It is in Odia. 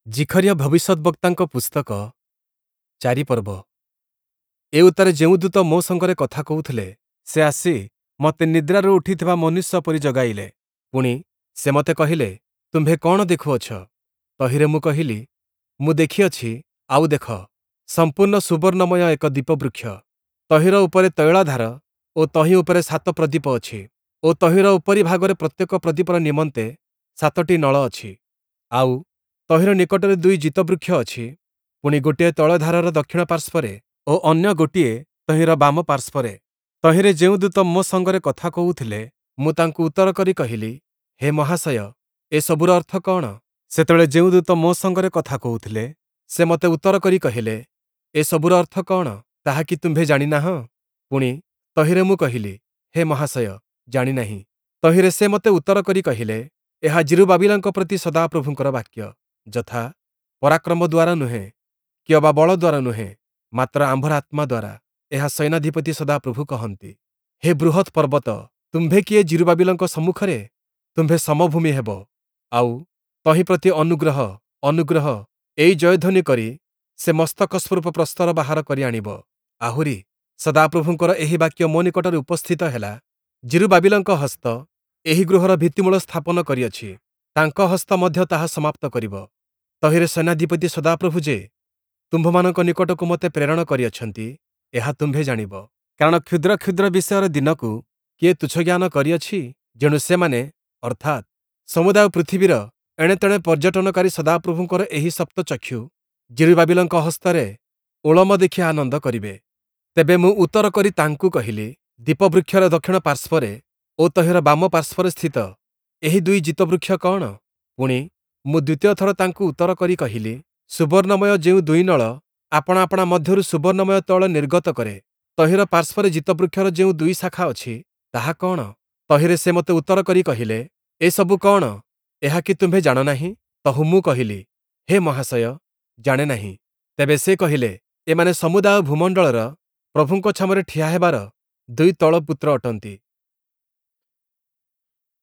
ଜିଖରିୟ ଭବିଷ୍ୟଦ୍‌ବକ୍ତାଙ୍କ ପୁସ୍ତକ, 4 ପର୍ବ। ଏଉତ୍ତାରେ ଯେଉଁ ଦୂତ ମୋ ସଙ୍ଗରେ କଥା କହୁଥିଲେ, ସେ ଆସି ମୋତେ ନିଦ୍ରାରୁ ଉଠିଥିବା ମନୁଷ୍ୟ ପରି ଜଗାଇଲେ। ପୁଣି, ସେ ମୋତେ କହିଲେ, ତୁମ୍ଭେ କଅଣ ଦେଖୁଅଛ? ତହିଁରେ ମୁଁ କହିଲି, ମୁଁ ଦେଖିଅଛି, ଆଉ ଦେଖ, ସମ୍ପୂର୍ଣ୍ଣ ସୁବର୍ଣ୍ଣମୟ ଏକ ଦୀପବୃକ୍ଷ। ତହିଁର ଉପରେ ତୈଳାଧାର ଓ ତହିଁ ଉପରେ ସାତ ପ୍ରଦୀପ ଅଛି ଓ ତହିଁର ଉପରିଭାଗରେ ପ୍ରତ୍ୟେକ ପ୍ରଦୀପର ନିମନ୍ତେ ସାତଟି ନଳ ଅଛି। ଆଉ, ତହିଁର ନିକଟରେ ଦୁଇ ଜୀତବୃକ୍ଷ ଅଛି, ପୁଣି ଗୋଟିଏ ତୈଳଧାରର ଦକ୍ଷିଣ ପାର୍ଶ୍ୱରେ ଓ ଅନ୍ୟ ଗୋଟିଏ ତହିଁର ବାମ ପାର୍ଶ୍ୱରେ। ତହିଁରେ ଯେଉଁ ଦୂତ ମୋ ସଙ୍ଗରେ କଥା କହୁଥିଲେ, ମୁଁ ତାଙ୍କୁ ଉତ୍ତର କରି କହିଲି, ହେ ମହାଶୟ, ଏସବୁର ଅର୍ଥ କଅଣ? ସେତେବେଳେ ଯେଉଁ ଦୂତ ମୋ ସଙ୍ଗରେ କଥା କହୁଥିଲେ, ସେ ମୋତେ ଉତ୍ତର କରି କହିଲେ, ଏସବୁର ଅର୍ଥ କଅଣ, ତାହା କି ତୁମ୍ଭେ ଜାଣି ନାହଁ? ପୁଣି, ତହିଁରେ ମୁଁ କହିଲି, ହେ ମହାଶୟ, ଜାଣି ନାହିଁ। ତହିଁରେ ସେ ମୋତେ ଉତ୍ତର କରି କହିଲେ, ଏହା ଯିରୁବ୍ବାବିଲଙ୍କ ପ୍ରତି ସଦାପ୍ରଭୁଙ୍କର ବାକ୍ୟ, ଯଥା, ପରାକ୍ରମ ଦ୍ୱାରା ନୁହେଁ, କିଅବା ବଳ ଦ୍ୱାରା ନୁହେଁ, ମାତ୍ର ଆମ୍ଭର ଆତ୍ମା ଦ୍ୱାରା, ଏହା ସୈନ୍ୟାଧିପତି ସଦାପ୍ରଭୁ କହନ୍ତି। ହେ ବୃହତ୍ ପର୍ବତ, ତୁମ୍ଭେ କିଏ ଯିରୁବ୍ବାବିଲଙ୍କ ସମ୍ମୁଖରେ? ତୁମ୍ଭେ ସମଭୂମି ହେବ। ଆଉ, ତହିଁ ପ୍ରତି ଅନୁଗ୍ରହ, ଅନୁଗ୍ରହ, ଏହି ଜୟଧ୍ୱନି କରି ସେ ମସ୍ତକ ସ୍ୱରୂପ ପ୍ରସ୍ତର ବାହାର କରି ଆଣିବ। ଆହୁରି, ସଦାପ୍ରଭୁଙ୍କର ଏହି ବାକ୍ୟ ମୋ ନିକଟରେ ଉପସ୍ଥିତ ହେଲା, ଯିରୁବ୍ବାବିଲଙ୍କ ହସ୍ତ ଏହି ଗୃହର ଭିତ୍ତିମୂଳ ସ୍ଥାପନ କରିଅଛି, ତାଙ୍କ ହସ୍ତ ମଧ୍ୟ ତାହା ସମାପ୍ତ କରିବ। ତହିଁରେ ସୈନ୍ୟାଧିପତି ସଦାପ୍ରଭୁ ଯେ ତୁମ୍ଭମାନଙ୍କ ନିକଟକୁ ମୋତେ ପ୍ରେରଣ କରିଅଛନ୍ତି, ଏହା ତୁମ୍ଭେ ଜାଣିବ। କାରଣ କ୍ଷୁଦ୍ର କ୍ଷୁଦ୍ର ବିଷୟର ଦିନକୁ କିଏ ତୁଚ୍ଛଜ୍ଞାନ କରିଅଛି? ଯେଣୁ ସେମାନେ, ଅର୍ଥାତ୍, ସମୁଦାୟ ପୃଥିବୀର ଏଣେତେଣେ ପର୍ଯ୍ୟଟନକାରୀ ସଦାପ୍ରଭୁଙ୍କର ଏହି ସପ୍ତଚକ୍ଷୁ ଯିରୁବ୍ବାବିଲଙ୍କ ହସ୍ତରେ ଓଳମ ଦେଖି ଆନନ୍ଦ କରିବେ। ତେବେ ମୁଁ ଉତ୍ତର କରି ତାଙ୍କୁ କହିଲି, ଦୀପବୃକ୍ଷର ଦକ୍ଷିଣ ପାର୍ଶ୍ୱରେ ଓ ତହିଁର ବାମ ପାର୍ଶ୍ୱରେ ସ୍ଥିତ ଏହି ଦୁଇ ଜୀତବୃକ୍ଷ କଅଣ? ପୁଣି, ମୁଁ ଦ୍ୱିତୀୟ ଥର ତାଙ୍କୁ ଉତ୍ତର କରି କହିଲି, ସୁବର୍ଣ୍ଣମୟ ଯେଉଁ ଦୁଇ ନଳ ଆପଣା ଆପଣା ମଧ୍ୟରୁ ସୁବର୍ଣ୍ଣମୟ ତୈଳ ନିର୍ଗତ କରେ, ତହିଁର ପାର୍ଶ୍ୱରେ ଜୀତବୃକ୍ଷର ଯେଉଁ ଦୁଇ ଶାଖା ଅଛି, ତାହା କଅଣ? ତହିଁରେ ସେ ମୋତେ ଉତ୍ତର କରି କହିଲେ, ଏସବୁ କଅଣ, ଏହା କି ତୁମ୍ଭେ ଜାଣ ନାହିଁ? ତହୁଁ ମୁଁ କହିଲି, ହେ ମହାଶୟ, ଜାଣେ ନାହିଁ। ତେବେ ସେ କହିଲେ, ଏମାନେ ସମୁଦାୟ ଭୂମଣ୍ଡଳର ପ୍ରଭୁଙ୍କ ଛାମୁରେ ଠିଆ ହେବାର ଦୁଇ ତୈଳପୁତ୍ର ଅଟନ୍ତି।